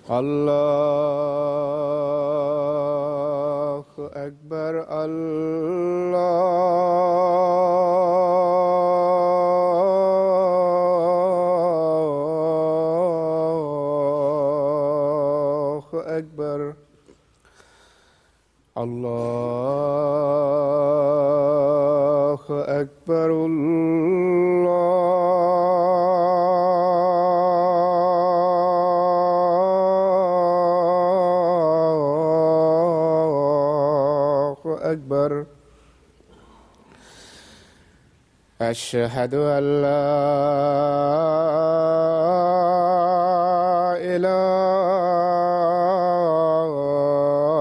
الله أكبر الله أكبر الله أكبر الله أكبر أشهد أن لا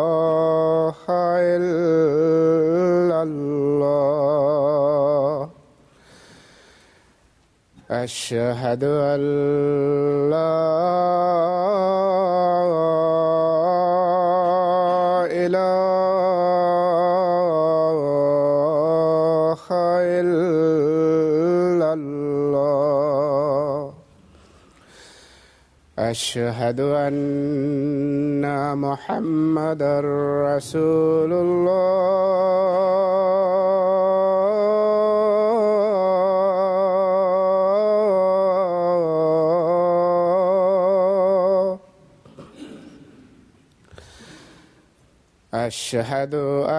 إله إلا الله أشهد أن لا إله إلا الله أشهد أن محمدًا رسول الله أشهد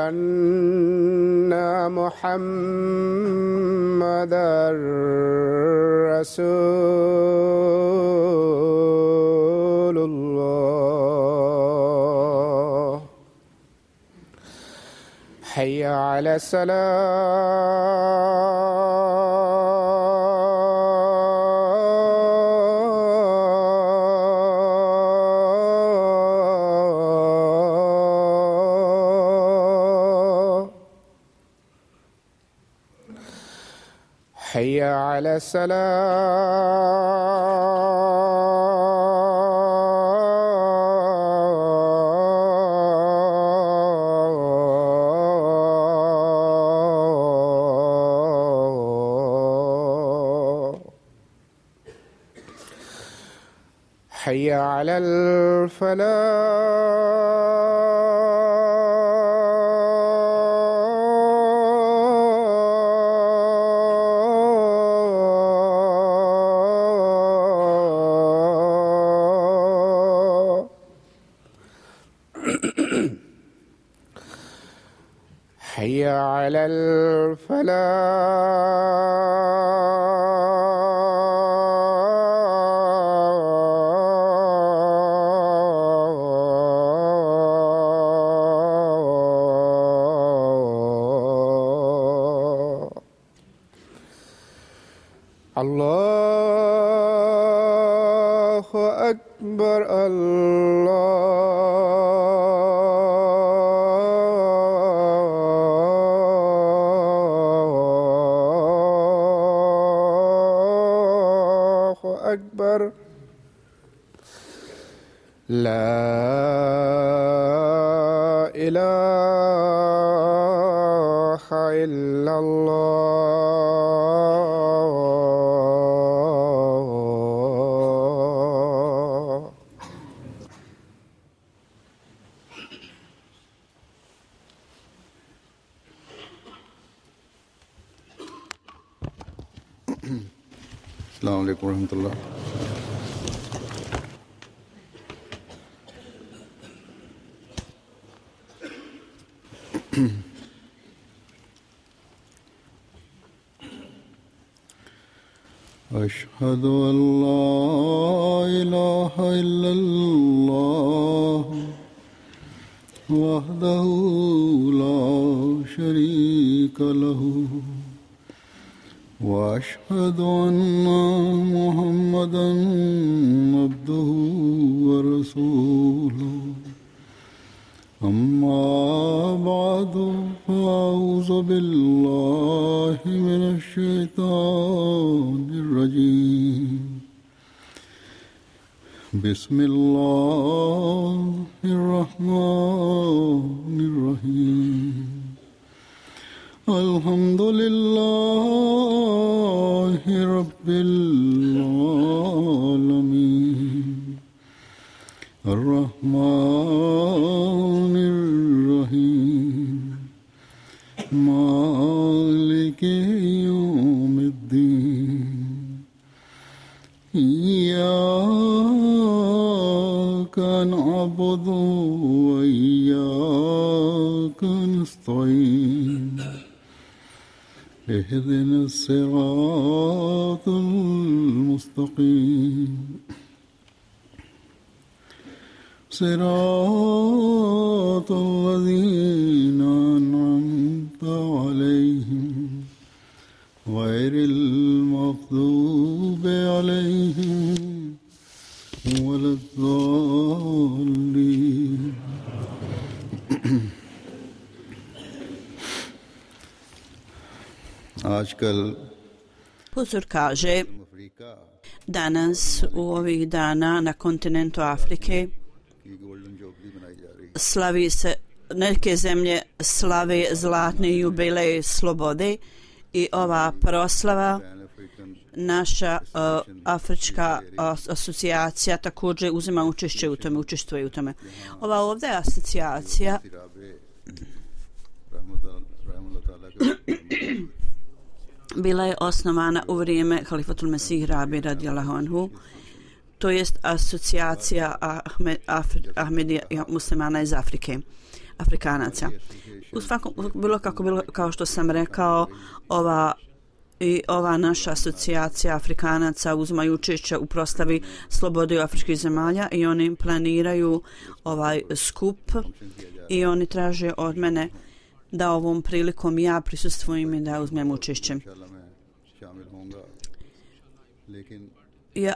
أن محمدًا رسول الله حي على الصلاة حي على الصلاة حي على الفلاح حي على الفلاح الله أكبر الله أكبر لا إله إلا الله अस्सलाम वालेकुम रहमतुल्लाह। أشهد أن لا إله إلا الله وحده لا شريك له وأشهد أن محمدًا عبده ورسوله أما بعد فأعوذ بالله من الشيطان الرجيم بسم الله الرحمن الرحيم الحمد لله رب العالمين الرحمن الرحيم مالك يوم الدين إياك نعبد وإياك نستعين اهدنا الصراط المستقيم صراط الذين أنعمت عليهم غير المغضوب عليهم ولا الضالين. Huzur kaže, danas u ovih dana na kontinentu Afrike slavi se, neke zemlje slave zlatni jubilej slobode i ova proslava naša Afrička asocijacija također uzima učestvuje u tome. Ova ovdje asocijacija bila je osnovana u vrijeme Halifatul Mesih Rabi radijallahu anhu, to jest asocijacija Ahmedija muslimana iz Afrike, Afrikanaca. U svakom, bilo kao što sam rekao, ova naša asocijacija Afrikanaca uzimaju učešće u proslavi slobode afričkih zemalja i oni planiraju ovaj skup i oni traže od mene da ovom prilikom ja prisustvujem i da uzmem učešće.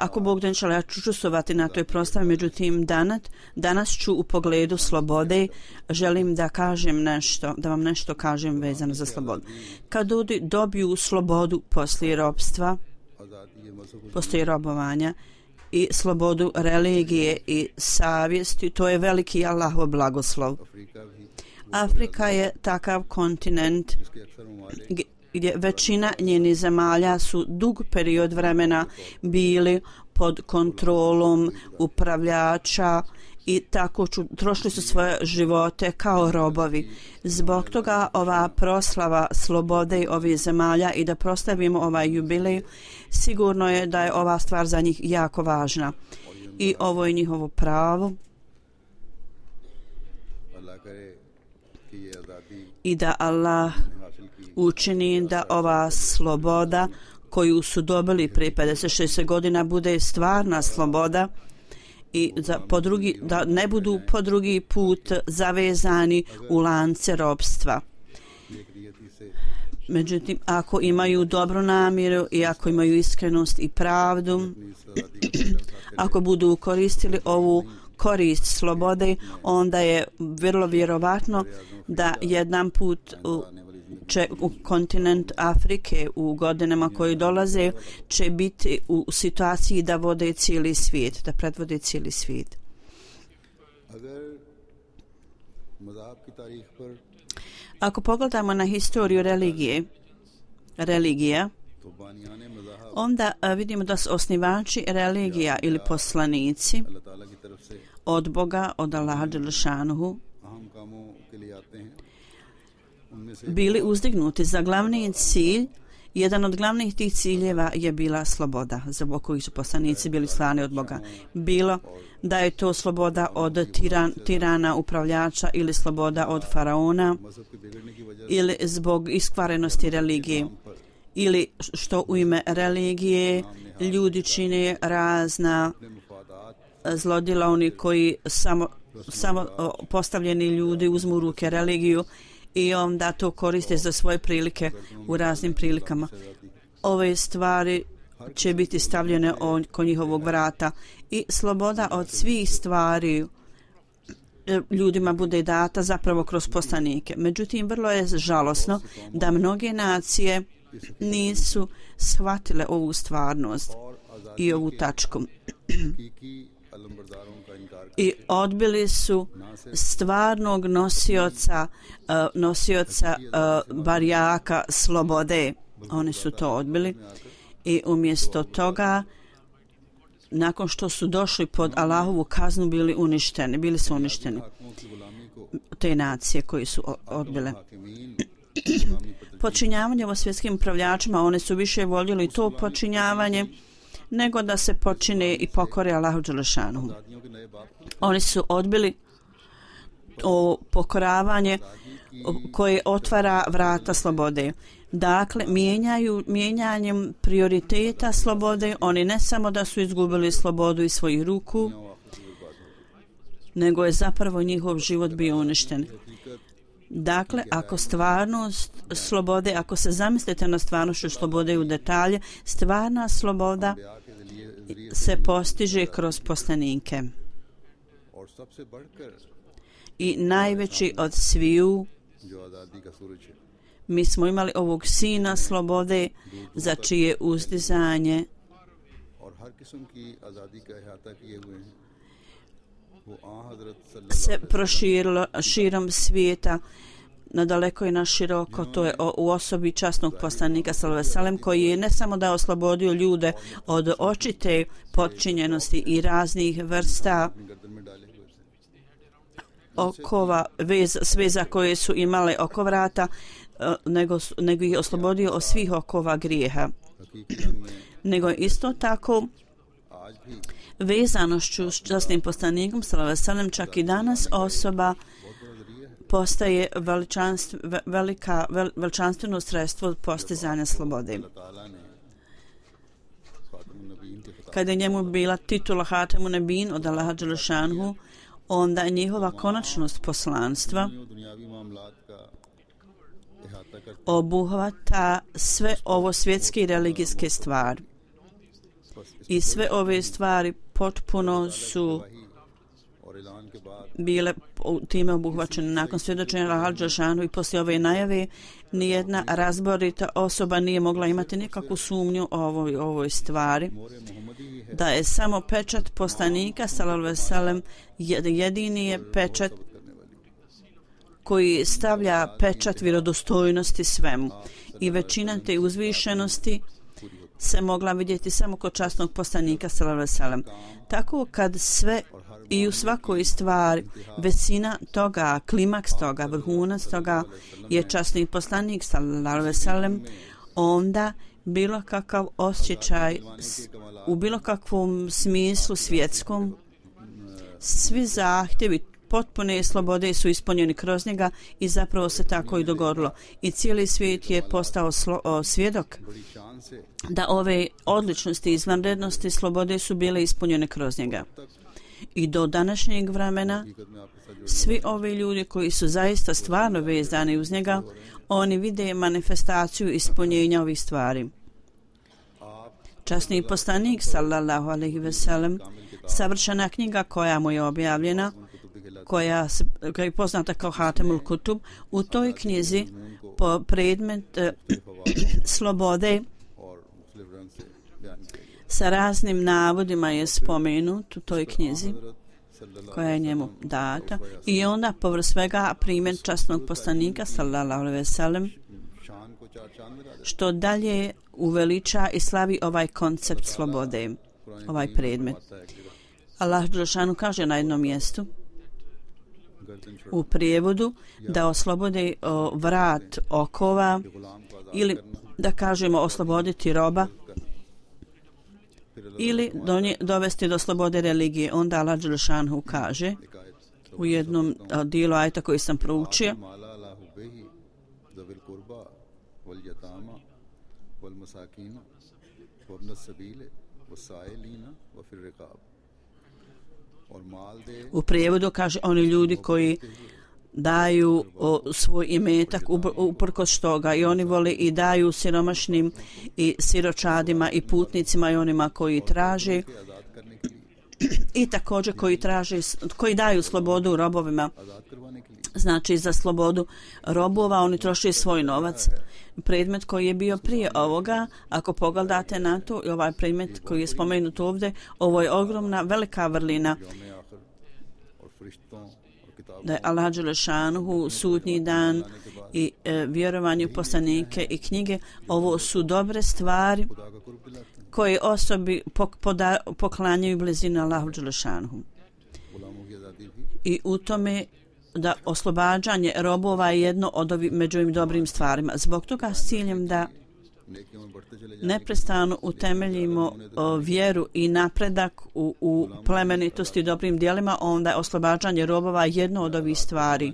Ako Bog da, inšallah, ja ću učestvovati na toj proslavi, međutim danas ću u pogledu slobode želim da kažem nešto, da vam nešto kažem vezano za slobodu. Kad ljudi dobiju slobodu poslije ropstva, poslije robovanja i slobodu religije i savjesti, to je veliki Allahov blagoslov. Afrika je takav kontinent gdje većina njenih zemalja su dug period vremena bili pod kontrolom upravljača i tako trošili su svoje živote kao robovi. Zbog toga ova proslava slobode ovih zemalja i da proslavimo ovaj jubilej, sigurno je da je ova stvar za njih jako važna i ovo je njihovo pravo i da Allah učini da ova sloboda koju su dobili prije 56 godina bude stvarna sloboda i da ne budu po drugi put zavezani u lance ropstva. Međutim, ako imaju dobru namjeru i ako imaju iskrenost i pravdu, ako budu koristili ovu korist slobode, onda je vrlo vjerovatno da jedan put će u kontinent Afrike u godinama koji dolaze će biti u situaciji da vode cijeli svijet, da predvode cijeli svijet. Ako pogledamo na historiju religija, onda vidimo da su osnivači religija ili poslanici od Boga, od Allaha dželešanuhu, bili uzdignuti za glavni cilj. Jedan od glavnih tih ciljeva je bila sloboda, zbog kojih su poslanici bili slani od Boga. Bilo da je to sloboda od tirana upravljača ili sloboda od faraona ili zbog iskvarenosti religije ili što u ime religije ljudi čine razna zlodjela, oni koji samo postavljeni ljudi uzmu u ruke religiju i onda to koriste za svoje prilike u raznim prilikama. Ove stvari će biti stavljene oko njihovog vrata i sloboda od svih stvari ljudima bude data zapravo kroz poslanike. Međutim, vrlo je žalosno da mnoge nacije nisu shvatile ovu stvarnost i ovu tačku i odbili su stvarnog nosioca barjaka slobode. Oni su to odbili i umjesto toga nakon što su došli pod Allahovu kaznu bili su uništeni te nacije koji su odbile počinjavanje o svjetskim upravljačima. One su više voljeli to počinjavanje nego da se počine i pokore Allahu dželešanu. Oni su odbili pokoravanje koje otvara vrata slobode. Dakle, mijenjanjem prioriteta slobode, oni ne samo da su izgubili slobodu iz svojih ruku, nego je zapravo njihov život bio uništen. Dakle, ako stvarnost slobode, ako se zamislite na stvarnošću slobode u detalje, stvarna sloboda se postiže kroz poslanike. I najveći od sviju, mi smo imali ovog sina slobode za čije uzdizanje se proširilo širom svijeta na daleko i na široko. To je u osobi časnog poslanika sallallahu alejhi ve sellem, koji je ne samo da oslobodio ljude od očite potčinjenosti i raznih vrsta okova, sveza koje su imale oko vrata, nego ih oslobodio od svih okova grijeha. Nego je isto tako vezanošću s časnim poslanikom sallallahu alejhi ve sellem čak i danas osoba postaje veličanstveno sredstvo postizanja slobode. Kada je njemu bila titula Hatemu Nebin od Allaha dželešanhu, onda njihova konačnost poslanstva obuhvata sve ovo svjetske i religijske stvari. I sve ove stvari potpuno su bile time obuhvaćene. Nakon svjedočenja Allaha dželešanu i poslije ove najave, nijedna razborita osoba nije mogla imati nikakvu sumnju o ovoj stvari, da je samo pečat poslanika sallallahu alejhi ve sellem jedini je pečat koji stavlja pečat vjerodostojnosti svemu. I većina te uzvišenosti se mogla vidjeti samo kod časnog poslanika sallallahu alejhi ve sellem. Tako kad sve i u svakoj stvari većina toga, klimaks toga, vrhunac toga je časni poslanik sallallahu alejhi ve sellem, onda bilo kakav osjećaj u bilo kakvom smislu svjetskom, svi zahtjevi potpune slobode su ispunjeni kroz njega i zapravo se tako i dogodilo. I cijeli svijet je postao svjedok da ove odličnosti, izvanrednosti, slobode su bile ispunjene kroz njega. I do današnjeg vremena svi ovi ljudi koji su zaista stvarno vezani uz njega, oni vide manifestaciju ispunjenja ovih stvari. Časni poslanik sallallahu alejhi ve sellem, savršena knjiga koja mu je objavljena, koja je poznata kao Hatemul Kutub, u toj knjizi po predmet slobode sa raznim navodima je spomenut u toj knjizi koja je njemu data, i onda povrh svega primjer časnog poslanika sallallahu alejhi ve sellem, što dalje uveliča i slavi ovaj koncept slobode, ovaj predmet. Allah dželešanu kaže na jednom mjestu u prijevodu da oslobode vrat okova, ili da kažemo osloboditi roba, ili dovesti do slobode religije. Onda Allah dželešanu kaže u jednom dijelu ajeta koji sam proučio, u prijevodu kaže oni ljudi koji daju svoj imetak uprkos toga, i oni vole i daju siromašnim i siročadima i putnicima i onima koji traže, i također koji daju slobodu robovima. Znači za slobodu robova oni troše svoj novac. Predmet koji je bio prije ovoga, ako pogledate na to, i ovaj predmet koji je spomenut ovdje, ovo je ogromna, velika vrlina, da je Allah dželešanuhu, sudnji dan i vjerovanje u poslanike i knjige, ovo su dobre stvari koje osobi poklanjaju blizinu Allahu dželešanuhu. I u tome da oslobađanje robova je jedno od među ovim dobrim stvarima. Zbog toga s ciljem da neprestano utemeljimo vjeru i napredak u plemenitosti i dobrim djelima, onda je oslobađanje robova jedno od ovih stvari.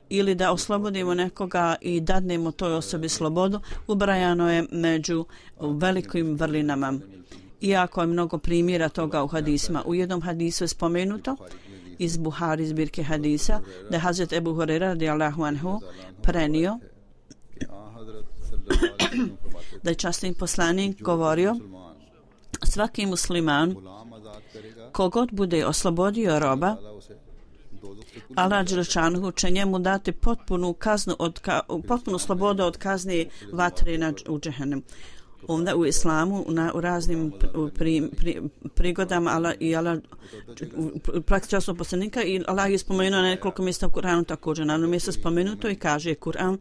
Ili da oslobodimo nekoga i dadnemo toj osobi slobodu, ubrajano je među velikim vrlinama. Iako je mnogo primjera toga u hadisima. U jednom hadisu je spomenuto iz Buhari zbirke hadisa da je Hazret Ebu Hurajra radijallahu anhu prenio da je časni poslanik govorio: svaki musliman kogod bude oslobodio roba, Allah dželešanuhu će njemu dati potpunu kaznu potpunu slobodu od kazne vatre u džehennem. Onda u islamu u raznim prigodama Allah u praksi časnog poslanika i Allah je spomenuo na nekoliko mjesta u Kur'anu također. Na jednom mjestu spomenuto i kaže Kur'an: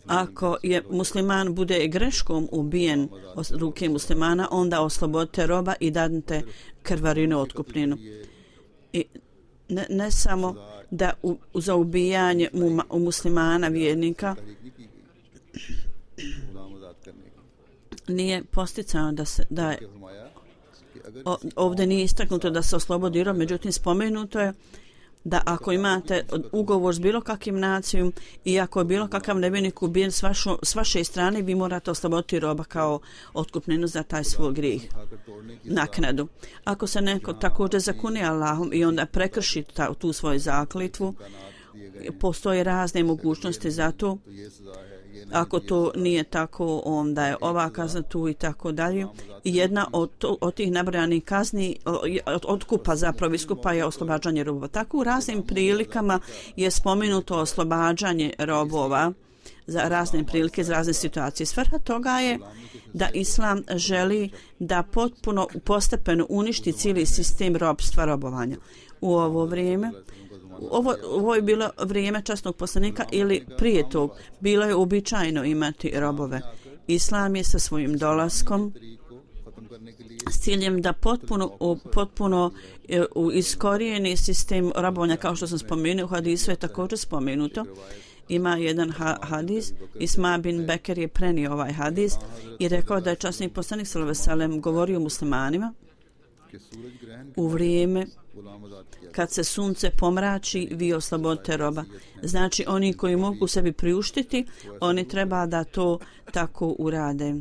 ako je musliman bude greškom ubijen od ruke muslimana, onda oslobodite roba i dadnite krvarinu otkupninu. I ne samo da za ubijanje muslimana vjernika nije posticano da je ovdje nije istaknuto da se oslobodi rob, međutim spomenuto je da ako imate ugovor s bilo kakvim nacijom i ako je bilo kakav nevjernik ubijen s vaše strane, vi morate osloboditi roba kao otkupninu za taj svoj grijeh, naknadu. Ako se neko također zakune Allahom i onda prekrši tu svoju zakletvu, postoje razne mogućnosti za to. Ako to nije tako, onda je ova kazna tu i tako dalje. I jedna od tih nabrojanih kazni otkupa zapravo iskupa je oslobađanje robova. Tako u raznim prilikama je spomenuto oslobađanje robova za razne prilike, za razne situacije. Svrha toga je da Islam želi da potpuno postepeno uništi cijeli sistem robovanja. U ovo vrijeme ovo je bilo vrijeme časnog poslanika ili prije tog bilo je uobičajeno imati robove. Islam je sa svojim dolaskom s ciljem da potpuno iskorijeni sistem robovanja, kao što sam spomenuo, u hadisu je također spomenuto. Ima jedan hadis, Isma bin Beker je prenio ovaj hadis i rekao da je časni poslanik sallallahu alejhi ve sellem govorio muslimanima u vrijeme kad se sunce pomrači, vi oslobodite roba. Znači oni koji mogu sebi priuštiti, oni treba da to tako urade.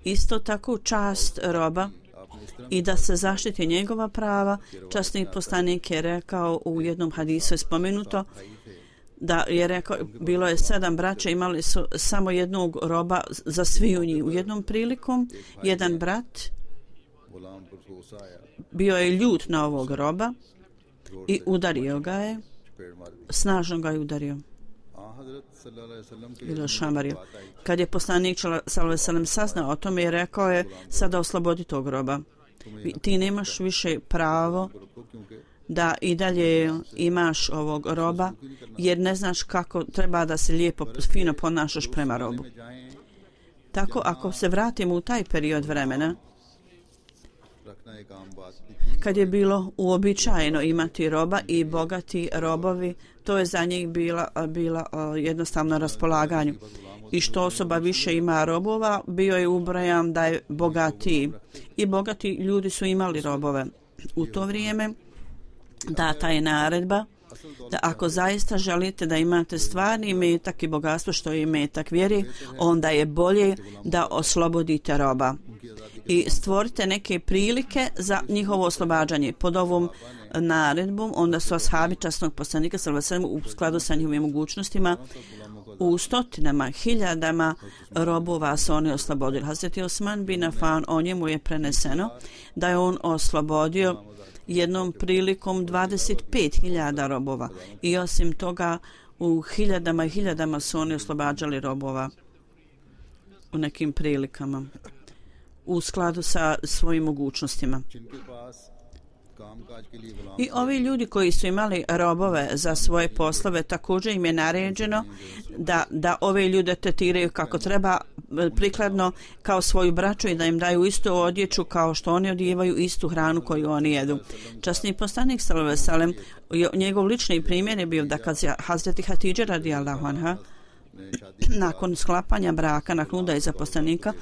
Isto tako čast roba i da se zaštiti njegova prava. Časni poslanik je rekao u jednom hadisu je spomenuto da je rekao, bilo je 7 braća, imali su samo jednog roba za sviju njih. U jednom prilikom jedan brat bio je ljut na ovog roba i udario ga je, snažno ga je udario. Bilo šamario. Kad je poslanik sallallahu alejhi ve sellem saznao o tome, je rekao je: sada oslobodi tog roba. Ti nemaš više pravo da i dalje imaš ovog roba, jer ne znaš kako treba da se lijepo, fino ponašaš prema robu. Tako, ako se vratimo u taj period vremena, kad je bilo uobičajeno imati roba i bogati robovi, to je za njih bila jednostavno raspolaganju. I što osoba više ima robova, bio je ubrajam da je bogatiji. I bogati ljudi su imali robove. U to vrijeme data je naredba da ako zaista želite da imate stvarni imetak i bogatstvo što je imetak vjeri, onda je bolje da oslobodite roba i stvorite neke prilike za njihovo oslobađanje. Pod ovom naredbom onda su ashabi časnog poslanika sallallahu alejhi ve sellem u skladu sa njihovim mogućnostima u stotinama, hiljadama robova su oni oslobodili. Hazreti Osman bin Affan, o njemu je preneseno da je on oslobodio jednom prilikom 25.000 robova i osim toga u hiljadama i hiljadama su oni oslobađali robova u nekim prilikama u skladu sa svojim mogućnostima. I ovi ljudi koji su imali robove za svoje poslove, također im je naređeno da ove ljude tretiraju kako treba, prikladno kao svoju braću i da im daju istu odjeću kao što oni odijevaju, istu hranu koju oni jedu. Časni poslanik sallallahu alejhi ve sellem, njegov lični primjer je bio da kad je Hazreti Hatidža radijallahu anha nakon sklapanja braka, nakon udaje poslanika,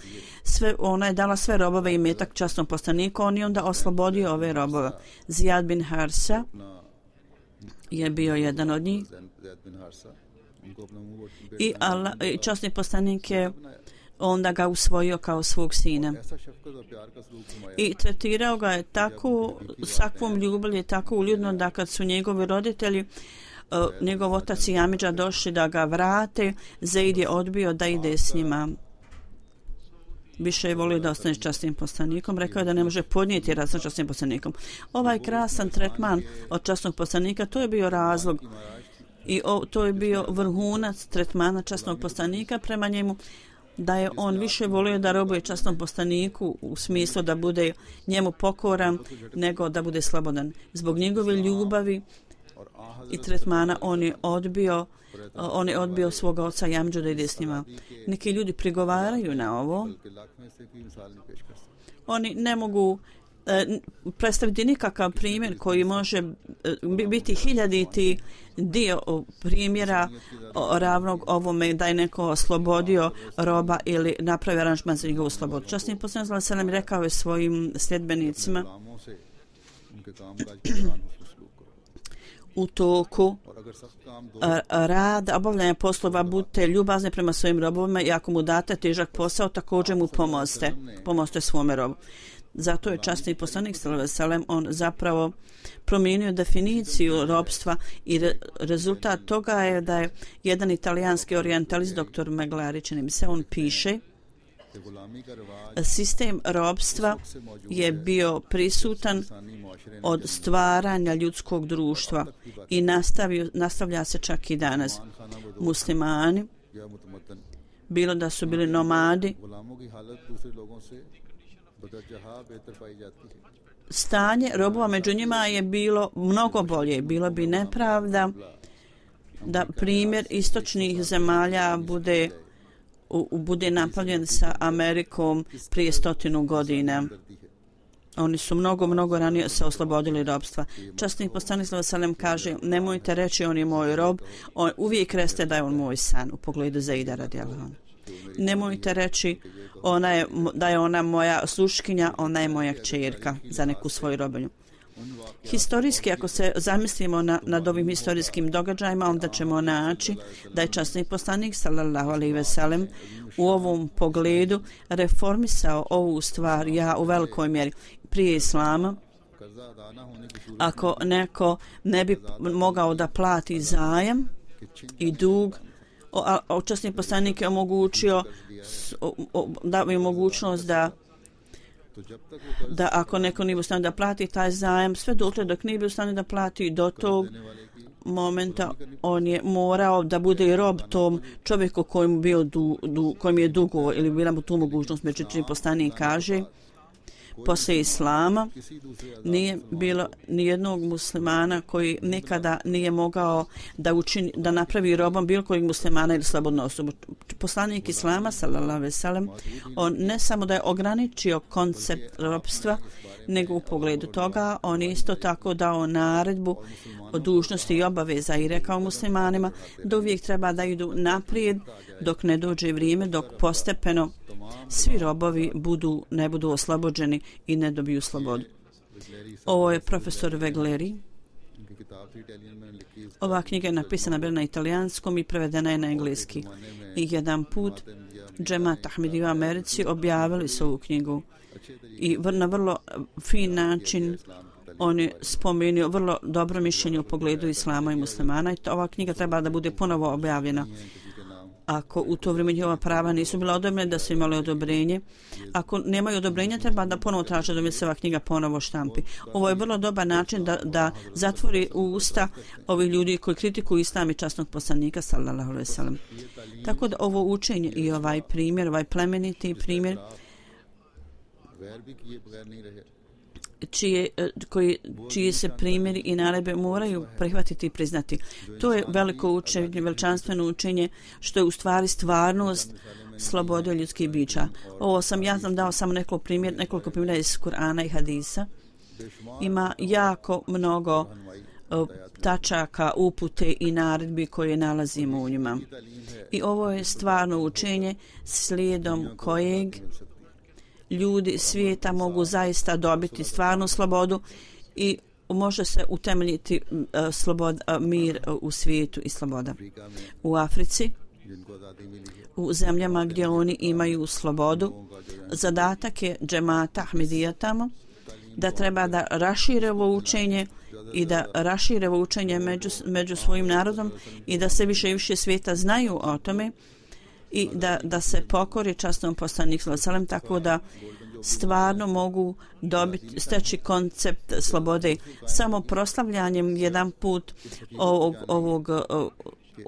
ona je dala sve robove i metak časnom poslaniku, on je onda oslobodio ove robove. Zijad bin Harsa je bio jedan od njih i časni poslanik je onda ga usvojio kao svog sina i tretirao ga je tako sakvom ljubavlju, tako uljudno da kad su njegovi roditelji, njegov otac i amidža došli da ga vrate, Zaid je odbio da ide s njima. Više je volio da ostane s časnim poslanikom, rekao je da ne može podnijeti rad sa časnim poslanikom. Ovaj krasan tretman od časnog poslanika, to je bio razlog i to je bio vrhunac tretmana časnog poslanika prema njemu, da je on više volio da robuje časnom poslaniku u smislu da bude njemu pokoran nego da bude slobodan. Zbog njegove ljubavi i tretmana on je odbio svoga oca i amidžu da ide s njima. Neki ljudi prigovaraju na ovo. Oni ne mogu predstaviti nikakav primjer koji može biti hiljaditi dio primjera ravnog ovome da je neko oslobodio roba ili napravio aranžman za njegovu slobodu. Časni poslanik sallallahu alejhi ve sellem rekao je svojim sljedbenicima u toku rada, obavljanja poslova, budite ljubazni prema svojim robovima i ako mu date težak posao, također mu pomozite svome robu. Zato je časni poslanik sallallahu alejhi ve sellem on zapravo promijenio definiciju robstva i rezultat toga je da je jedan italijanski orijentalist, dr. Meglari, čini mi se, on piše: sistem robstva je bio prisutan od stvaranja ljudskog društva i nastavlja se čak i danas. Muslimani, bilo da su bili nomadi, stanje robova među njima je bilo mnogo bolje. Bilo bi nepravda da primjer istočnih zemalja bude napravljen sa Amerikom prije 100 godina. Oni su mnogo ranije se oslobodili robstva. Časni poslanik sallallahu alejhi ve sellem kaže: nemojte reći on je moj rob, uvijek recite da je on moj san, u pogledu Zaida radijallahu anhu. Nemojte reći da je ona moja sluškinja, ona je moja kćerka za neku svoju robinju. Historijski, ako se zamislimo nad ovim historijskim događajima, onda ćemo naći da je časni poslanik sallallahu alejhi ve sellem u ovom pogledu reformisao ovu stvar u velikoj mjeri. Prije islama, ako neko ne bi mogao da plati zajam i dug, časni poslanik je omogućio da bi mogućnost da ako neko nije u stanju da plati taj zajam, sve dok nije bio u stanju da plati, do tog momenta on je morao da bude rob tom čovjeku kojim je dugo ili bila mu tu mogućnost. Međutim, poslanik kaže: poslije islama nije bilo nijednog muslimana koji nikada nije mogao da napravi robom bilo kojeg muslimana ili slobodnu osobu. Poslanik islama sallallahu alejhi ve sellem on ne samo da je ograničio koncept robstva, nego u pogledu toga on je isto tako dao naredbu o dužnosti i obaveza i rekao muslimanima da uvijek treba da idu naprijed dok ne dođe vrijeme, dok postepeno svi robovi ne budu oslobođeni i ne dobiju slobodu. Ovo je profesor Vegleri. Ova knjiga je napisana bila na italijanskom i prevedena je na engleski. I jedan put Džemat Ahmedi u Americi objavili su ovu knjigu i na vrlo fin način on je spomenuo vrlo dobro mišljenje u pogledu islama i muslimana i ova knjiga treba da bude ponovo objavljena. Ako u to vrijeme njihova prava nisu bila odobrena, da su imali odobrenje. Ako nemaju odobrenja, treba da ponovo traže da se ova knjiga ponovo štampi. Ovo je vrlo dobar način da zatvori usta ovih ljudi koji kritikuju islam i časnog poslanika sallallahu alejhi ve sellem. Tako da ovo učenje i ovaj primjer, ovaj plemeniti primjer čiji se primjeri i naredbe moraju prihvatiti i priznati. To je veliko učenje, veličanstveno učenje, što je u stvari stvarnost slobode ljudskih bića. Ja sam dao samo nekoliko primjera iz Kur'ana i hadisa. Ima jako mnogo tačaka, upute i naredbi koje nalazimo u njima. I ovo je stvarno učenje slijedom kojeg ljudi svijeta mogu zaista dobiti stvarnu slobodu i može se utemeljiti mir u svijetu i sloboda. U Africi, u zemljama gdje oni imaju slobodu, zadatak je džemata Ahmedija tamo da treba da rašire ovo učenje i da rašire ovo učenje među svojim narodom i da se više i više svijeta znaju o tome i da se pokori časnom poslaniku sallallahu alejhi ve sellem, tako da stvarno mogu steći koncept slobode. Samo proslavljanjem jedan put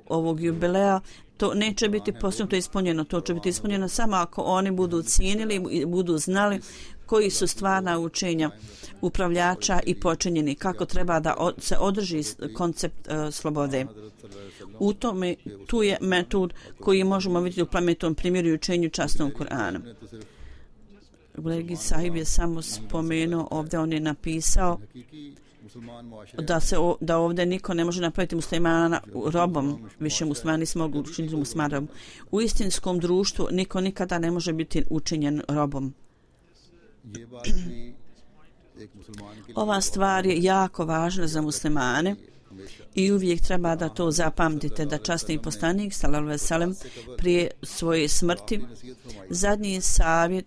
ovog jubileja to neće biti postignuto ispunjeno. To će biti ispunjeno samo ako oni budu cijenili i budu znali koji su stvarna učenja upravljača i počinjeni, kako treba da se održi koncept slobode. U tome, tu je metod koji možemo vidjeti u plementom primjeru i učenju časnog Kur'ana. Veliki sahib je samo spomenuo ovdje, on je napisao da ovdje niko ne može napraviti muslimana robom, više muslimani se mogu učiniti muslimanom. U istinskom društvu niko nikada ne može biti učinjen robom. Ova stvar je jako važna za muslimane i uvijek treba da to zapamtite, da časni poslanik sallallahu alejhi ve sellem prije svoje smrti zadnji savjet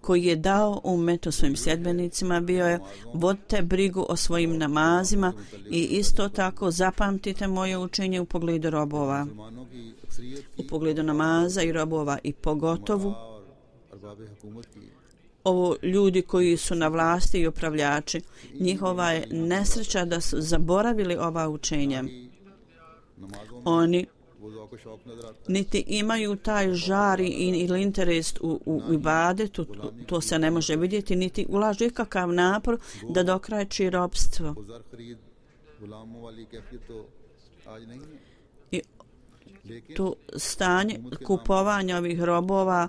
koji je dao ummetu svojim sljedbenicima bio je: vodite brigu o svojim namazima i isto tako zapamtite moje učenje u pogledu robova, u pogledu namaza i robova, i pogotovo ovo ljudi koji su na vlasti i upravljači, njihova je nesreća da su zaboravili ova učenja. Oni niti imaju taj žar ili interes u ibadetu, to se ne može vidjeti, niti ulažu ikakav napor da dokrajči robstvo. I to stanje kupovanja ovih robova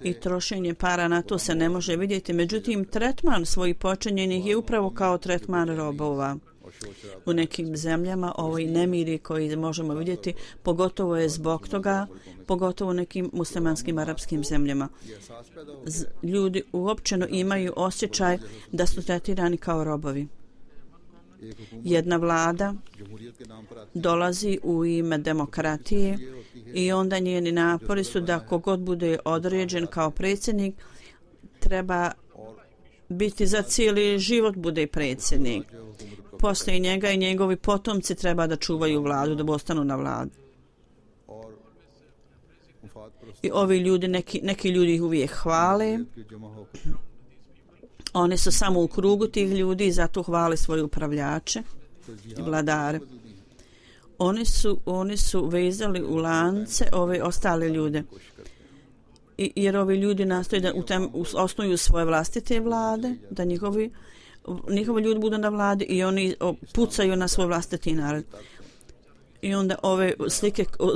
i trošenje para na to se ne može vidjeti. Međutim, tretman svojih počinjenih je upravo kao tretman robova. U nekim zemljama ovi nemiri koji možemo vidjeti, pogotovo je zbog toga, pogotovo u nekim muslimanskim arapskim zemljama. Ljudi uopćeno imaju osjećaj da su tretirani kao robovi. Jedna vlada dolazi u ime demokratije i onda njeni napori su da kogod bude određen kao predsjednik treba biti za cijeli život bude predsjednik. Poslije njega i njegovi potomci treba da čuvaju vladu, da ostanu na vladu. I ovi ljudi, neki ljudi ih uvijek hvale. Oni su samo u krugu tih ljudi i zato hvale svoje upravljače i vladare. Oni su vezali u lance ove ostale ljude. Jer ovi ljudi nastoje da osnuju svoje vlastite vlade, da njihovi ljudi budu na vladi i oni pucaju na svoj vlastiti narod. I onda ove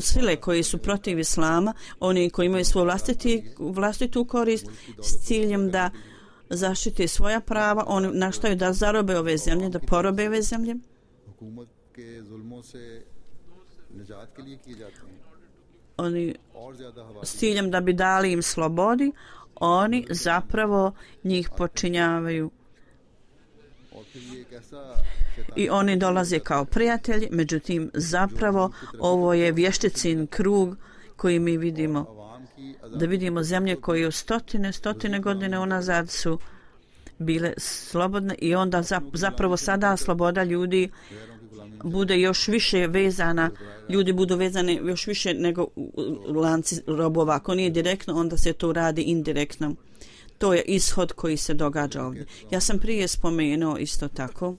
sile koje su protiv islama, oni koji imaju svoju vlastitu korist s ciljem da zaštite svoja prava, oni naštaju da zarobe ove zemlje, da porobe ove zemlje. Oni s ciljem da bi dali im slobodi, oni zapravo njih počinjavaju. I oni dolaze kao prijatelji, međutim zapravo ovo je vješticin krug koji mi vidimo. Da vidimo zemlje koje stotine godine unazad su bile slobodne i onda zapravo sada sloboda ljudi bude još više vezana, ljudi budu vezani još više nego u lanci robova. Ako nije direktno, onda se to radi indirektno. To je ishod koji se događa ovdje. Ja sam prije spomenuo isto tako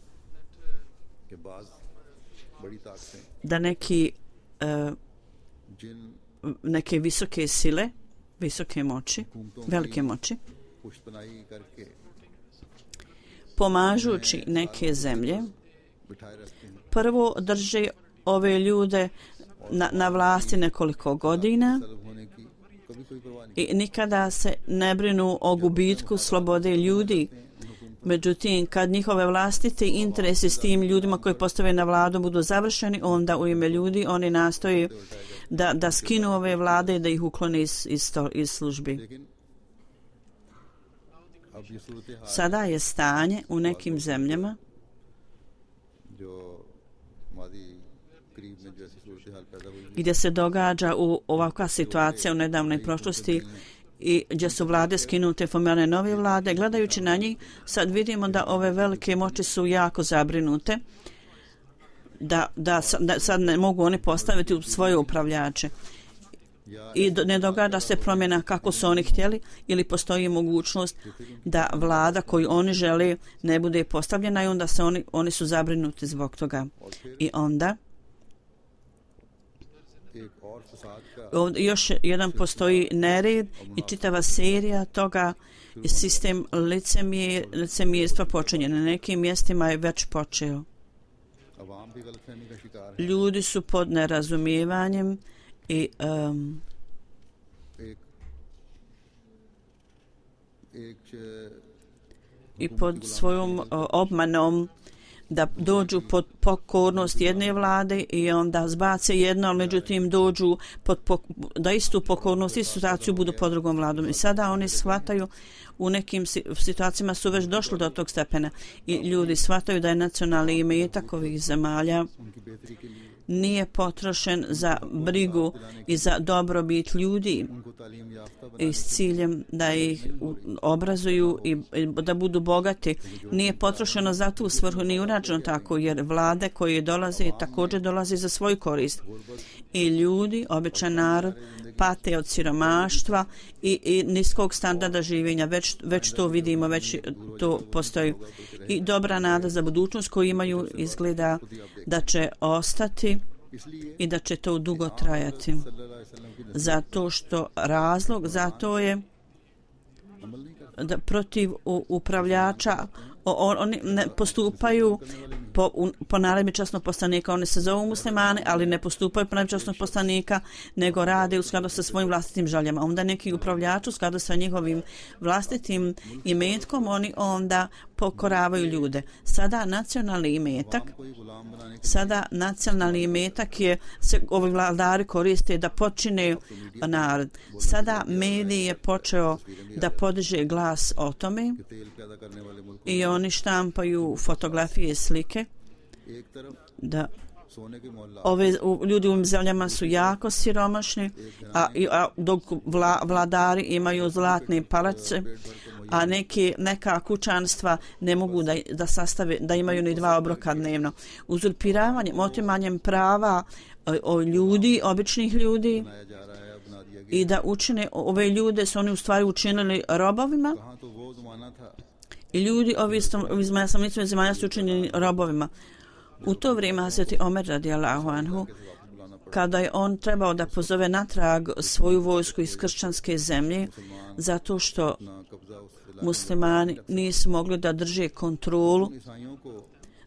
da neke visoke sile, visoke moći, velike moći, pomažući neke zemlje, prvo drže ove ljude na vlasti nekoliko godina i nikada se ne brinu o gubitku slobode ljudi. Međutim, kad njihove vlastite interesi s tim ljudima koji postave na vladu budu završeni, onda u ime ljudi oni nastoje da skinu ove vlade i da ih uklone iz službi. Sada je stanje u nekim zemljama gdje se događa ovakva situacija u nedavnoj prošlosti i gdje su vlade skinute, formirane nove vlade. Gledajući na njih, sad vidimo da ove velike moći su jako zabrinute, da sad ne mogu oni postaviti u svoje upravljače. I ne događa se promjena kako su oni htjeli ili postoji mogućnost da vlada koju oni žele ne bude postavljena i onda oni su zabrinuti zbog toga. I onda još jedan postoji nered i čitava serija toga i sistem licemjerstva počinje. Na nekim mjestima je već počeo. Ljudi su pod nerazumijevanjem i pod svojom obmanom da dođu pod pokornost jedne vlade i onda zbace jedno, ali međutim dođu da istu pokornost i situaciju budu pod drugom vladom. I sada oni shvataju, u nekim situacijama su već došli do tog stepena i ljudi shvataju da je nacionalni imetak ovih zemalja nije potrošen za brigu i za dobrobit ljudi i s ciljem da ih obrazuju i da budu bogati. Nije potrošeno za tu svrhu, nije urađeno tako, jer vlade koje dolaze također dolaze za svoju korist. I ljudi, običan narod, pate od siromaštva i niskog standarda življenja. Već to vidimo, već to postoji. I dobra nada za budućnost koju imaju izgleda da će ostati i da će to dugo trajati. Zato što razlog za to je da protiv upravljača oni ne postupaju po naredbi časnog poslanika. Oni se zovu muslimani, ali ne postupaju po naredbi časnog poslanika, nego rade u skladu sa svojim vlastitim željama. Onda neki upravljač u skladu sa njihovim vlastitim imetkom, oni onda pokoravaju ljude. Sada nacionalni imetak se ovi vladari koriste da počine narod. Sada medij je počeo da podiže glas o tome i oni štampaju fotografije i slike da ljudi u ovim zemljama su jako siromašni, dok vladari imaju zlatne palače, a neka kućanstva ne mogu da sastave, da imaju ni 2 obroka dnevno. Uzurpiravanjem, otimanjem prava ljudi, običnih ljudi, i da učine ove ljude su oni u stvari učinili robovima i ljudi ovi zemalja su učinjeni robovima. U to vrijeme Hazreti Omer radijallahu anhu, kada je on trebao da pozove natrag svoju vojsku iz kršćanske zemlje, zato što muslimani nisu mogli da drže kontrolu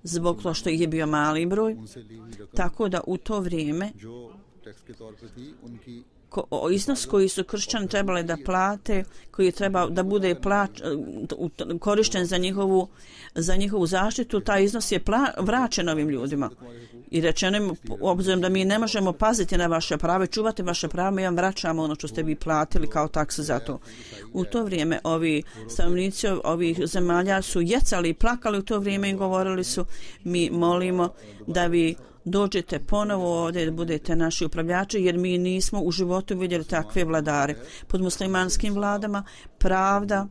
zbog toga što ih je bio mali broj, tako da u to vrijeme iznos koji su kršćani trebali da plate, koji je trebao da bude korišten za njihovu zaštitu, taj iznos je vraćen ovim ljudima. I rečeno im, obzirom da mi ne možemo paziti na vaše prave, čuvati vaše prave, mi vam vraćamo ono što ste vi platili kao taksu za to. U to vrijeme ovi stanovnici ovih zemalja su jecali i plakali u to vrijeme i govorili su, mi molimo da vi dođete ponovo ovdje da budete naši upravljači, jer mi nismo u životu vidjeli takve vladare. Pod muslimanskim vladama pravda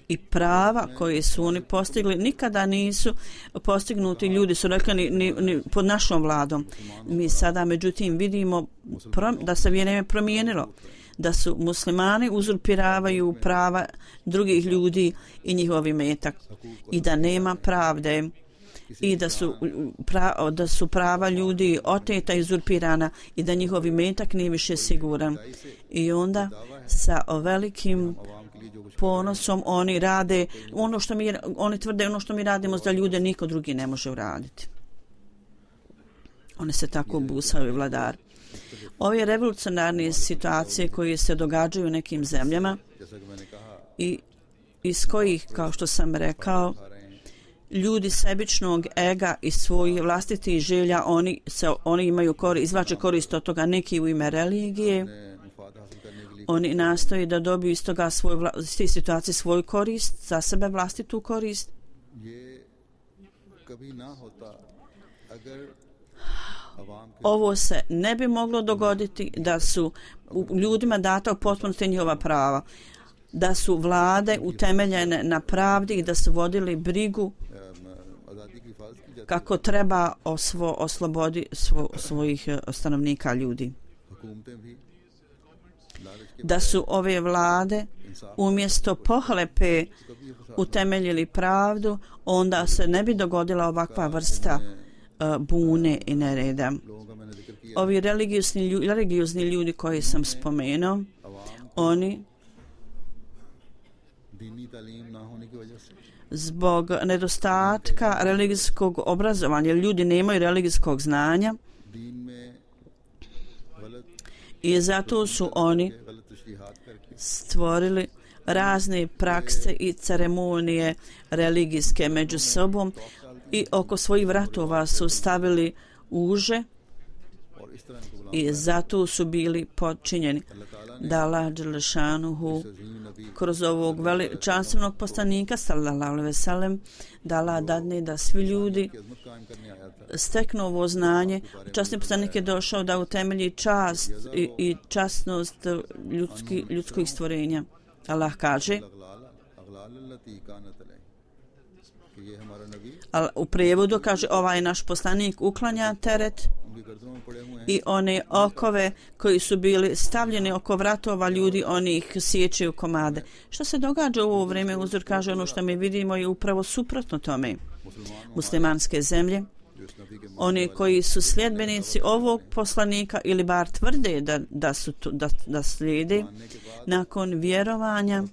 i prava koje su oni postigli nikada nisu postignuti. Ljudi su rekli ni pod našom vladom. Mi sada međutim vidimo da se vrijeme promijenilo, da su muslimani uzurpiravaju prava drugih ljudi i njihov imetak i da nema pravde i da su prava ljudi oteta i uzurpirana i da njihov imetak nije više siguran. I onda sa velikim ponosom oni rade ono što oni tvrde ono što mi radimo za ljude niko drugi ne može uraditi. Oni se tako busaju vladar. Ove revolucionarne situacije koje se događaju u nekim zemljama i iz kojih, kao što sam rekao, ljudi sebičnog ega i svojih vlastitih želja, oni imaju izvlače korist od toga, neki u ime religije. Oni nastoje da dobiju iz toga iz te situacije svoju korist, za sebe vlastitu korist. Ovo se ne bi moglo dogoditi da su ljudima data u potpunosti njihova prava, da su vlade utemeljene na pravdi i da su vodili brigu kako treba o slobodi svojih stanovnika ljudi. Da su ove vlade umjesto pohlepe utemeljili pravdu, onda se ne bi dogodila ovakva vrsta bune i nereda. Ovi religiozni ljudi koji sam spomenuo, oni zbog nedostatka religijskog obrazovanja, ljudi nemaju religijskog znanja i zato su oni stvorili razne prakse i ceremonije religijske među sobom i oko svojih vratova su stavili uže i zato su bili podčinjeni. Da Allah dželešanuhu kroz ovog veličanstvenog poslanika sallallahu alejhi ve sellem da Allah dadne da svi ljudi steknu ovo znanje. Časni poslanik je došao da utemelji čast i časnost ljudskih stvorenja. Allah kaže, u prijevodu kaže, ovaj naš poslanik uklanja teret i one okove koji su bili stavljeni oko vratova ljudi, oni ih sjećaju komade. Što se događa u ovo vrijeme? Uzor kaže, ono što mi vidimo je upravo suprotno tome. Muslimanske zemlje, oni koji su sljedbenici ovog poslanika ili bar tvrde da slijede, nakon vjerovanja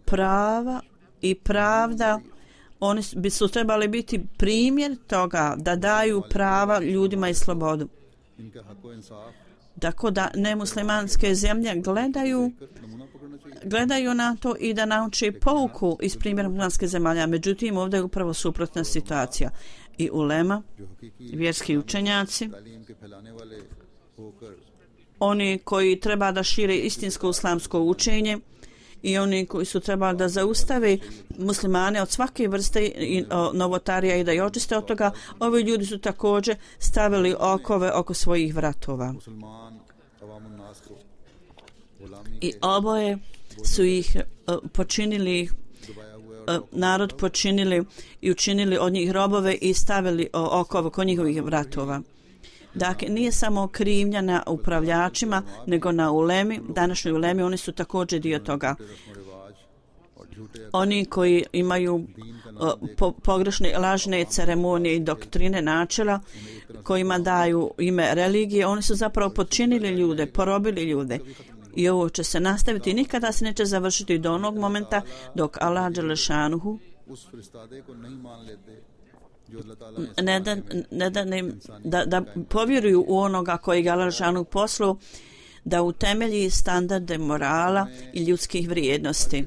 prava i pravda, oni bi su trebali biti primjer toga da daju prava ljudima i slobodu. Tako da nemuslimanske zemlje gledaju na to i da nauče pouku iz primjera muslimanske zemalja. Međutim, ovdje je upravo suprotna situacija. I ulema, vjerski učenjaci, oni koji treba da šire istinsko islamsko učenje i oni koji su trebali da zaustave muslimane od svake vrste novotarija i da ih očiste od toga, ovi ljudi su također stavili okove oko svojih vratova. I oboje su ih počinili, narod počinili i učinili od njih robove i stavili okove oko njihovih vratova. Dakle, nije samo krivnja na upravljačima, nego na ulemi, današnjoj ulemi, oni su također dio toga. Oni koji imaju pogrešne, lažne ceremonije i doktrine načela, kojima daju ime religije, oni su zapravo počinili ljude, porobili ljude. I ovo će se nastaviti, nikada se neće završiti do onog momenta dok Allah dželešanuhu da povjeruju u onoga koji ga Allah dželešanuhu poslao, da utemelji standarde morala i ljudskih vrijednosti.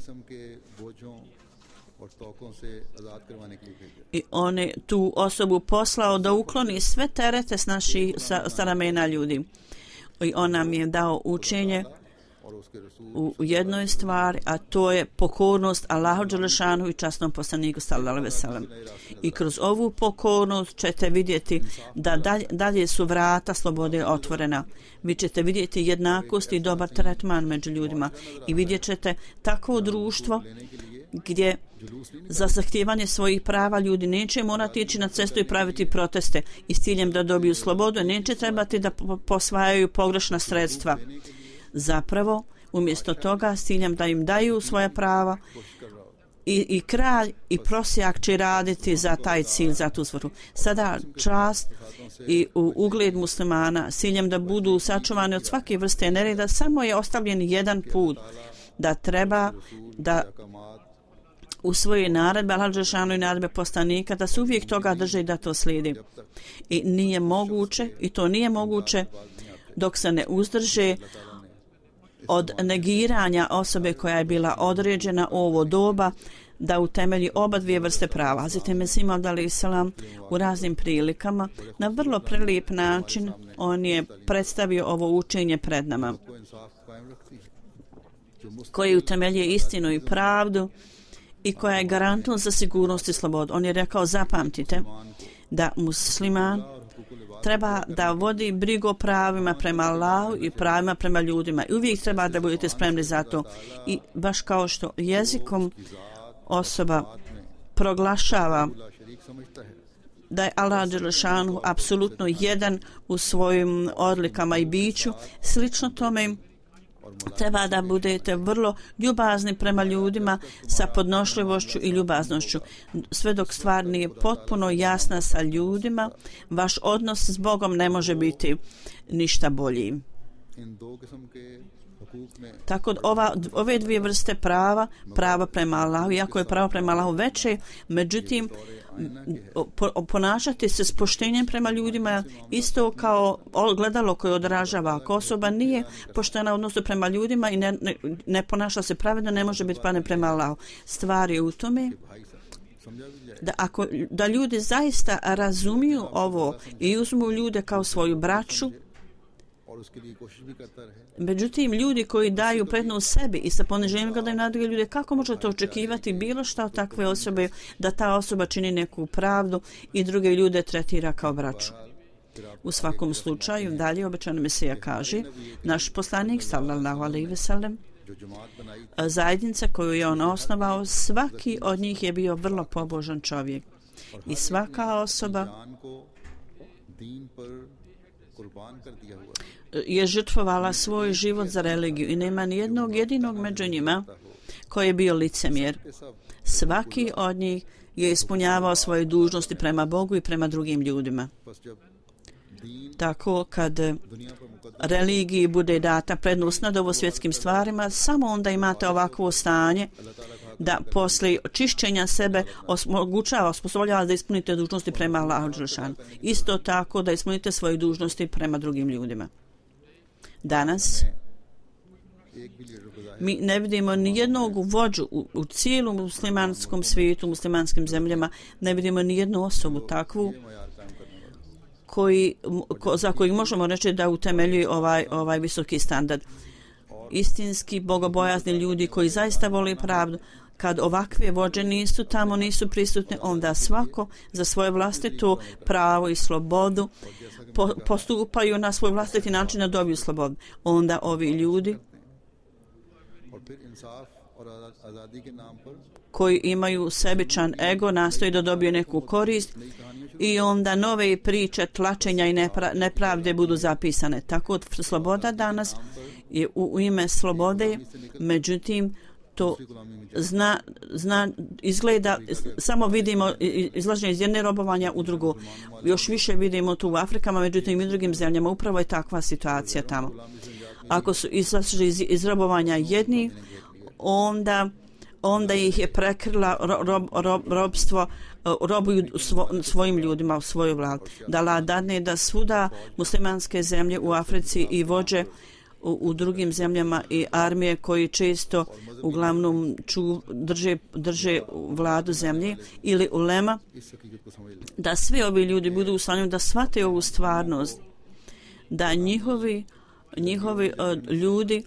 I on je tu osobu poslao da ukloni sve terete sa ramena ljudi. I on nam je dao učenje u jednoj stvari, a to je pokornost Allahu dželešanuhu i časnom poslaniku sallallahu alejhi ve sellem. I kroz ovu pokornost ćete vidjeti da dalje su vrata slobode otvorena. Vi ćete vidjeti jednakost i dobar tretman među ljudima i vidjet ćete takvo društvo gdje za zahtijevanje svojih prava ljudi neće morati ići na cestu i praviti proteste i s ciljem da dobiju slobodu, neće trebati da posvajaju pogrešna sredstva. Zapravo, umjesto toga, s ciljem da im daju svoja prava, i kralj i prosjak će raditi za taj cilj, za tu svrhu. Sada čast i ugled muslimana s ciljem da budu sačuvani od svake vrste nereda, samo je ostavljen jedan put, da treba da usvoji naredbe Allah dželešanu i naredbe poslanika, da se uvijek toga drže i da to slijedi. I nije moguće, i to nije moguće dok se ne uzdrže od negiranja osobe koja je bila određena u ovo doba da utemelji oba dvije vrste prava. Hazreti Mesih Maud alejhi selam u raznim prilikama na vrlo prelijep način on je predstavio ovo učenje pred nama, koji utemeljuje istinu i pravdu i koja je garantom za sigurnost i slobodu. On je rekao, zapamtite da musliman treba da vodi brigu o pravima prema Allahu i pravima prema ljudima. I uvijek treba da budete spremni za to. I baš kao što jezikom osoba proglašava da je Allah dželešanu apsolutno jedan u svojim odlikama i biću, slično tome treba da budete vrlo ljubazni prema ljudima sa podnošljivošću i ljubaznošću. Sve dok stvar nije potpuno jasna sa ljudima, vaš odnos s Bogom ne može biti ništa bolji. Tako ove dvije vrste prava prema Allahu, iako je pravo prema Allahu veće, međutim ponašati se s poštenjem prema ljudima isto kao gledalo koje odražava. Ako osoba nije poštena u odnosu prema ljudima i ne ponaša se pravedno, ne može biti pravedna prema Allahu. Stvar je u tome da ljudi zaista razumiju ovo i uzmu ljude kao svoju braću. Međutim, ljudi koji daju prednost sebi i sa poniženjem gledaju na druge ljude, kako možete očekivati bilo šta od takve osobe, da ta osoba čini neku pravdu i druge ljude tretira kao braću? U svakom slučaju, dalje obećani Mesija kaže, naš poslanik sallallahu alejhi ve sellem, zajednica koju je on osnovao, svaki od njih je bio vrlo pobožan čovjek i svaka osoba je žrtvovala svoj život za religiju i nema ni jednog jedinog među njima koji je bio licemjer. Svaki od njih je ispunjavao svoje dužnosti prema Bogu i prema drugim ljudima. Tako kad religiji bude data prednost nad ovo svjetskim stvarima, samo onda imate ovakvo stanje da posle čišćenja sebe osposobljava da ispunite dužnosti prema Allahu dželešanu. Isto tako da ispunite svoje dužnosti prema drugim ljudima. Danas mi ne vidimo ni jednog vođu u cijelom muslimanskom svijetu, muslimanskim zemljama, ne vidimo ni jednu osobu takvu za koji možemo reći da utemeljuje ovaj visoki standard. Istinski bogobojazni ljudi koji zaista vole pravdu, kad ovakve vođe nisu tamo, nisu prisutne, onda svako za svoje vlastito pravo i slobodu postupaju na svoj vlastiti način da dobiju slobodu. Onda ovi ljudi koji imaju sebičan ego nastoji da dobiju neku korist i onda nove priče tlačenja i nepravde budu zapisane. Tako sloboda danas je u ime slobode, međutim to izgleda, samo vidimo izlaženje iz jedne robovanja u drugo. Još više vidimo tu u Afrikama, međutim i drugim zemljama. Upravo je takva situacija tamo. Ako su izlažili iz robovanja jedni, onda ih je prekrila robstvo, robuju svojim ljudima u svoju vladu. Da Allah dadne da svuda muslimanske zemlje u Africi i vođe u drugim zemljama i armije koji često uglavnom drže vladu zemlje ili ulema, da svi ovi ljudi budu u stanju da shvate ovu stvarnost, da njihovi ljudi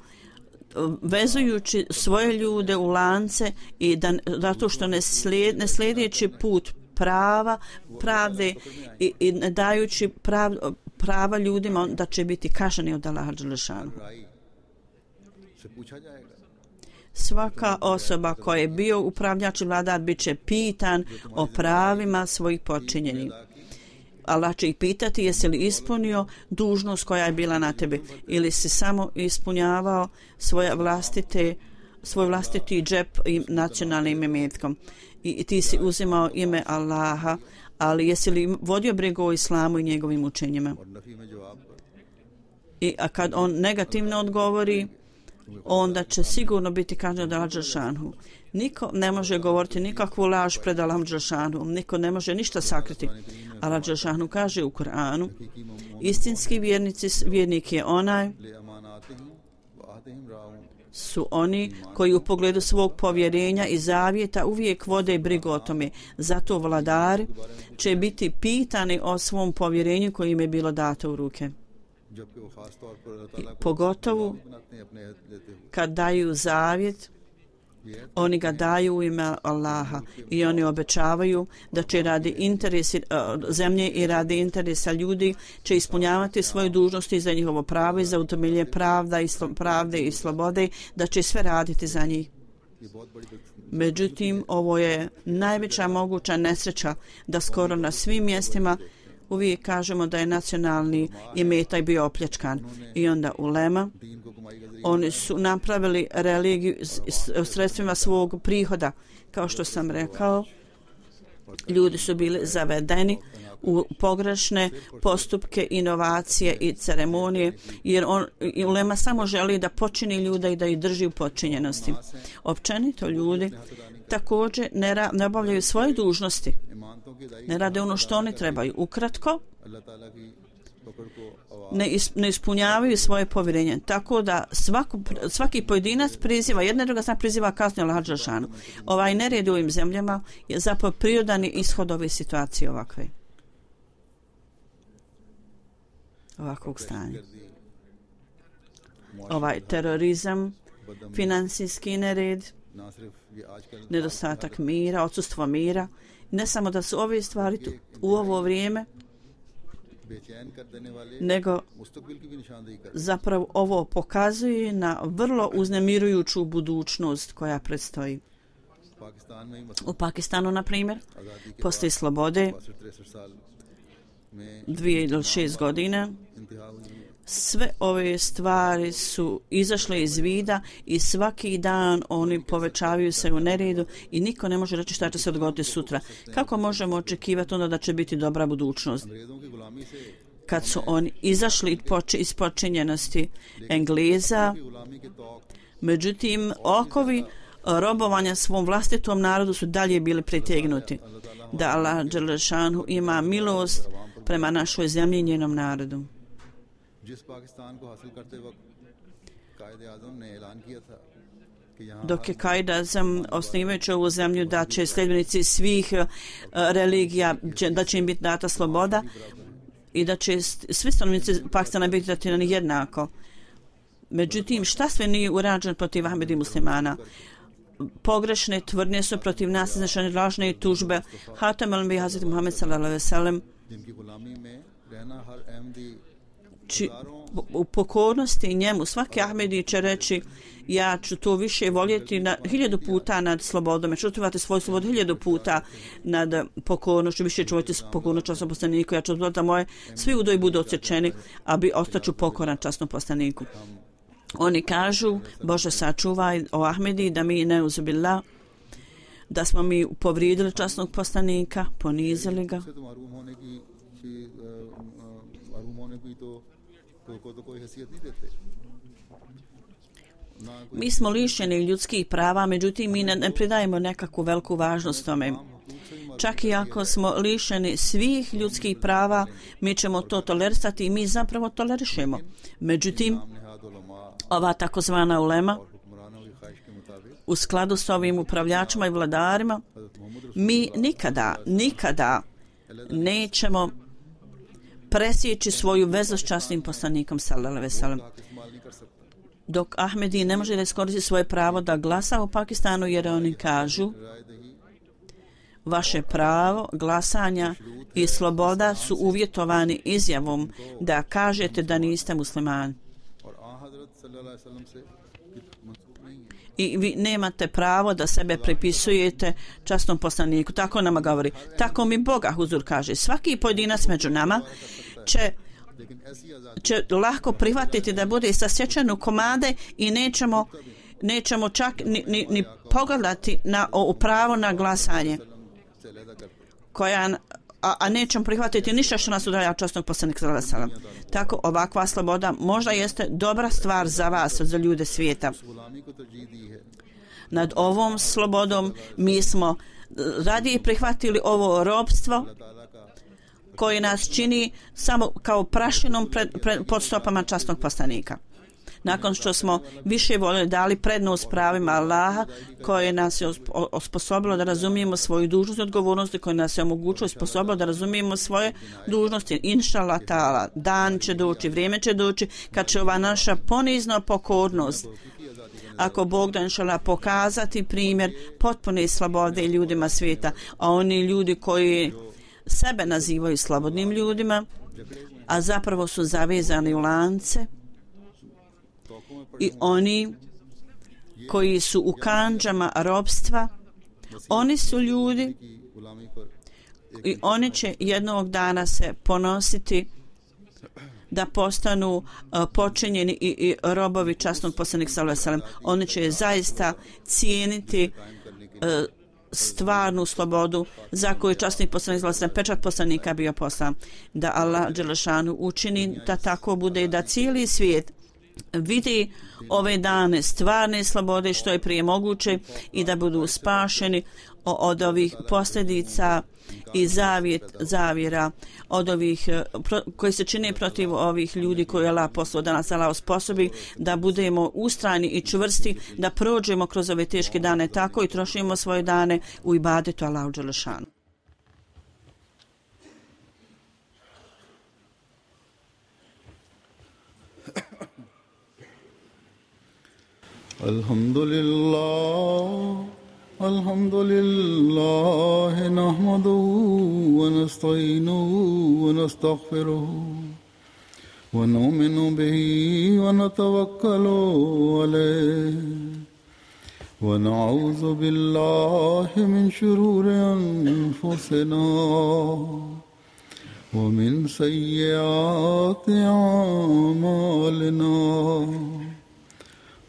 vezujući svoje ljude u lance i zato što ne sljedeći put pravde i ne dajući prava ljudima, da će biti kažnjeni od Allaha dželešanu. Svaka osoba koja je bio upravljač i vladar bit će pitan o pravima svojih počinjenih. Allah će ih pitati jesi li ispunio dužnost koja je bila na tebi ili si samo ispunjavao svoje vlastite svoj vlastiti džep i nacionalnim imetkom. I ti si uzimao ime Allaha, ali jesi li vodio brigu o islamu i njegovim učenjima? A kad on negativno odgovori, onda će sigurno biti kažnjen od Allaha dželešanu. Niko ne može govoriti nikakvu laž pred Allahom dželešanu. Niko ne može ništa sakriti. Allah dželešanu kaže u Kur'anu: istinski vjernik je onaj su oni koji u pogledu svog povjerenja i zavjeta uvijek vode brigu o tome. Zato vladari će biti pitani o svom povjerenju koje im je bilo dato u ruke. Pogotovo kad daju zavjet, oni ga daju u ime Allaha i oni obećavaju da će radi interesi zemlje i radi interesa ljudi će ispunjavati svoje dužnosti za njihovo pravo i za utemeljenje pravde i slobode, da će sve raditi za njih. Međutim, ovo je najveća moguća nesreća da skoro na svim mjestima uvijek kažemo da je nacionalni imetak bio opljačkan. I onda ulema, oni su napravili religiju sredstvima svog prihoda. Kao što sam rekao, ljudi su bili zavedeni u pogrešne postupke, inovacije i ceremonije, jer ulema samo želi da počini ljude i da ih drži u podčinjenosti. Općenito ljudi također ne obavljaju svoje dužnosti, ne rade ono što oni trebaju. Ukratko, ne ispunjavaju svoje povjerenje. Tako da svaki pojedinac priziva, jedna druga strana priziva kaznu Allaha dželešanu. Ovaj nered u ovim zemljama je zapravo prirodani ishod ove situacije ovakvog stanja. Ovaj terorizam, financijski nered, nedostatak mira, odsustvo mira. Ne samo da su ove stvari u ovo vrijeme, nego zapravo ovo pokazuje na vrlo uznemirujuću budućnost koja predstoji. U Pakistanu, na primjer, poslije slobode 2 ili 6 godina, sve ove stvari su izašle iz vida i svaki dan oni povećavaju se u neredu i niko ne može reći šta će se dogoditi sutra. Kako možemo očekivati onda da će biti dobra budućnost? Kad su oni izašli iz podčinjenosti Engleza, međutim, okovi robovanja svom vlastitom narodu su dalje bili pritegnuti. Da Allah dželešanu ima milost prema našoj zemlji i njenom narodu. Dok je Kaid Azam osnivajući ovu zemlju da će sljedbenici svih religija, da će im biti data sloboda i da će svi stanovnici Pakistana biti tretirani jednako. Međutim, šta sve nije urađeno protiv Ahmedi muslimana? Pogrešne tvrdnje su protiv nas iznešene lažne tužbe. Hatem al-Anbiya Hazreti Muhammed sallallahu alejhi ve sellem u pokornosti njemu svaki Ahmedi će reći ja ću to više voljeti 1000 puta nad slobodom, ja ću očuvati svoju slobodu 1000 puta nad pokornošću, više ću voljeti pokornost časnom poslaniku, ja ću odvoliti da moje svi udoji budu odsječeni, a ostaću pokoran časnom poslaniku. Oni kažu, Bože sačuvaj o Ahmedi da mi ne uzubila, da smo mi povrijedili časnog poslanika, ponizili ga. Mi smo lišeni ljudskih prava, međutim mi ne pridajemo nekakvu veliku važnost tome. Čak i ako smo lišeni svih ljudskih prava, mi ćemo to tolerisati i mi zapravo tolerišemo. Međutim, ova takozvana ulema, u skladu s ovim upravljačima i vladarima, mi nikada nećemo presjeći svoju vezu s časnim poslanikom sallallahu alejhi ve sellem. Dok Ahmedi ne može da iskoristi svoje pravo da glasa u Pakistanu, jer oni kažu vaše pravo glasanja i sloboda su uvjetovani izjavom da kažete da niste muslimani. I vi nemate pravo da sebe pripisujete časnom poslaniku. Tako nama govori. Tako mi Boga, Huzur kaže. Svaki pojedinac među nama će lahko prihvatiti da bude sasječen u komade i nećemo čak ni pogledati na pravo na glasanje, a nećemo prihvatiti ništa što nas udalja od časnog poslanika sallallahu alejhi ve sellem. Tako ovakva sloboda možda jeste dobra stvar za vas, za ljude svijeta. Nad ovom slobodom mi smo radije prihvatili ovo ropstvo koje nas čini samo kao prašinom pod stopama časnog poslanika. Nakon što smo više voljeli dali prednost pravima Allaha koje nas je osposobilo da razumijemo svoju dužnost i odgovornost, koje nas je omogućilo i sposobilo da razumijemo svoje dužnosti, inšallah ta'ala, dan će doći, vrijeme će doći kad će ova naša ponizna pokornost, ako Bog da inšallah, pokazati primjer potpune slobode ljudima svijeta, a oni ljudi koji sebe nazivaju slobodnim ljudima, a zapravo su zavezani u lance, i oni koji su u kandžama ropstva, oni su ljudi i oni će jednog dana se ponositi da postanu počinjeni i robovi časnog poslanika sallallahu alejhi ve sellem. Oni će zaista cijeniti stvarnu slobodu za koju časni poslanik sallallahu alejhi ve sellem, pečat poslanika bio poslan. Da Allah dželle šanu učini da tako bude i da cijeli svijet vidi ove dane stvarne slobode što je prije moguće i da budu spašeni od ovih posljedica i zavjera od ovih koji se čine protiv ovih ljudi koji je Allah poslao, da nas Allah osposobi da budemo ustrajni i čvrsti, da prođemo kroz ove teške dane tako i trošimo svoje dane u ibadetu Allahu dželle šanu. الحمد لله نحمده ونستعينه ونستغفره ونؤمن به ونتوكل عليه ونعوذ بالله من شرور أنفسنا ومن سيئات أعمالنا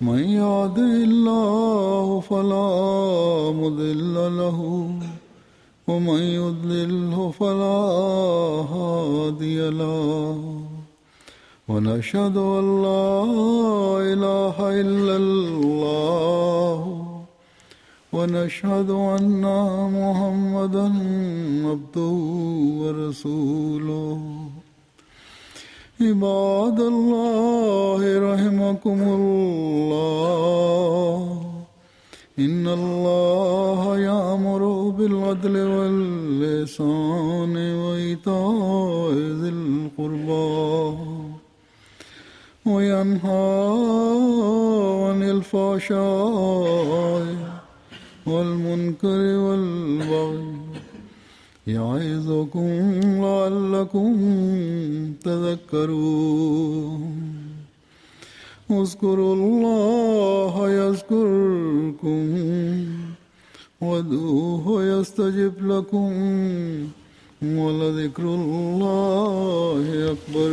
من يهده الله فلا مضل له ومن يضلله فلا هادي له ونشهد أن لا إله إلا الله ونشهد أن محمدا عبده ورسوله عباد الله رحمكم الله إن الله يأمر بالعدل والإحسان وإيتاء ذي القربى وينهى عن الفحشاء والمنكر والبغي يعظكم لعلكم تذكرون اذكروا الله يذكركم وادعوه يستجب لكم ولذكر الله أكبر.